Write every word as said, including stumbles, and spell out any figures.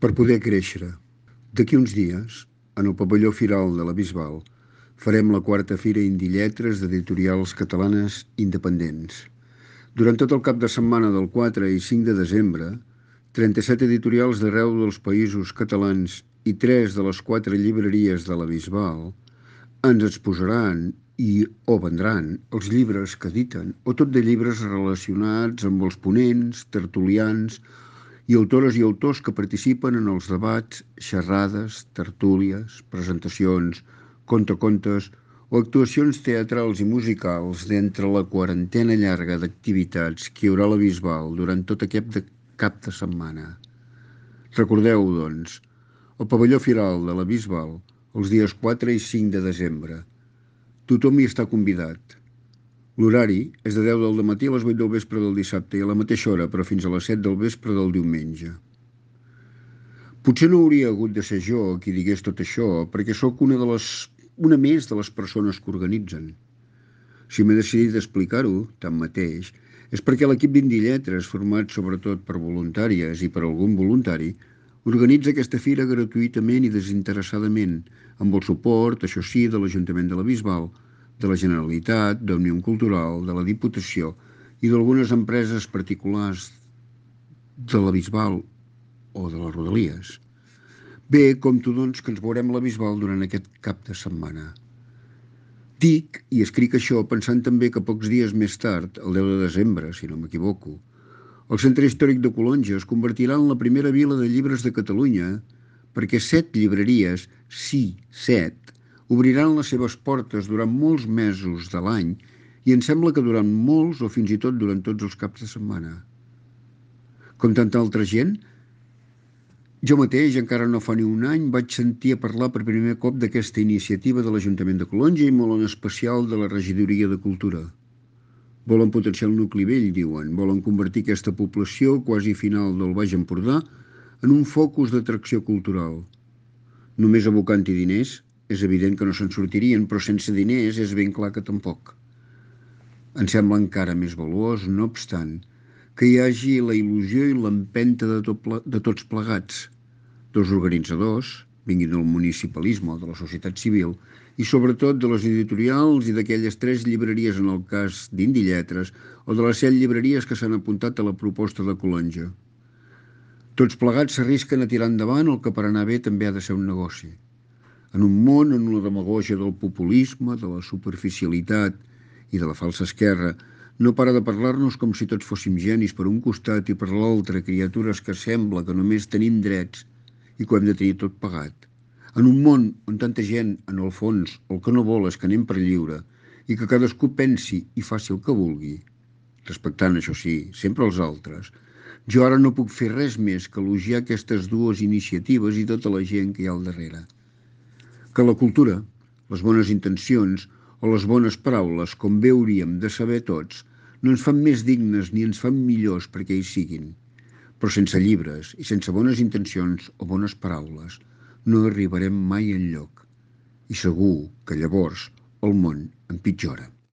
Per poder créixer. D'aquí uns dies, en el pavelló Firal de la Bisbal, farem la quarta Fira Indie Lletres d'editorials catalanes independents. Durant tot el cap de setmana del quatre i cinc de desembre, trenta-set editorials d'arreu dels països catalans i tres de les quatre llibreries de la Bisbal ens exposaran i o vendran els llibres que editen, o tot de llibres relacionats amb els ponents, tertulians i autores i autors que participen en els debats, xerrades, tertúlies, presentacions, contacontes o actuacions teatrals i musicals d'entre la quarantena llarga d'activitats que hi haurà a la Bisbal durant tot aquest de cap de setmana. Recordeu, doncs, el pavelló Firal de la Bisbal els dies quatre i cinc de desembre. Tothom hi està convidat. L'horari és de deu del matí a les vuit del vespre del dissabte i a la mateixa hora, però fins a les set del vespre del diumenge. Potser no hauria hagut de ser jo qui digués tot això, perquè sóc una, de les, una més de les persones que organitzen. Si m'he decidit explicar-ho, tanmateix, és perquè l'equip d'Indie Lletres, format sobretot per voluntàries i per algun voluntari, organitza aquesta fira gratuïtament i desinteressadament, amb el suport, això sí, de l'Ajuntament de la Bisbal, de la Generalitat, d'Òmnium Cultural, de la Diputació i d'algunes empreses particulars de la Bisbal o de les Rodalies. Bé, compto doncs que ens veurem a la Bisbal durant aquest cap de setmana. Dic i escric això pensant també que pocs dies més tard, el deu de desembre, si no m'equivoco, el Centre Històric de Calonge es convertirà en la primera vila de llibres de Catalunya perquè set llibreries, sí, set, obriran les seves portes durant molts mesos de l'any i em sembla que durant molts o fins i tot durant tots els caps de setmana. Com tanta altra gent, jo mateix, encara no fa ni un any, vaig sentir a parlar per primer cop d'aquesta iniciativa de l'Ajuntament de Calonge i molt en especial de la Regidoria de Cultura. Volen potenciar el nucli vell, diuen. Volen convertir aquesta població quasi final del Baix Empordà en un focus d'atracció cultural. Només abocant-hi diners, és evident que no se'n sortirien, però sense diners és ben clar que tampoc. Em sembla encara més valuós, no obstant, que hi hagi la il·lusió i l'empenta de, tot, de tots plegats, dels organitzadors, vinguin del municipalisme o de la societat civil, i sobretot de les editorials i d'aquelles tres llibreries en el cas d'Indie Lletres o de les set llibreries que s'han apuntat a la proposta de Calonge. Tots plegats s'arrisquen a tirar endavant el que per anar bé també ha de ser un negoci. En un món on la demagògia del populisme, de la superficialitat i de la falsa esquerra no para de parlar-nos com si tots fóssim genis per un costat i per l'altre criatures que sembla que només tenim drets i que ho hem de tenir tot pagat. En un món on tanta gent, en el fons, el que no vol és que anem per lliure i que cadascú pensi i faci el que vulgui, respectant, això sí, sempre els altres, jo ara no puc fer res més que elogiar aquestes dues iniciatives i tota la gent que hi ha al darrere. Que la cultura, les bones intencions o les bones paraules, com bé hauríem de saber tots, no ens fan més dignes ni ens fan millors perquè hi siguin. Però sense llibres i sense bones intencions o bones paraules no arribarem mai enlloc. I segur que llavors el món empitjora.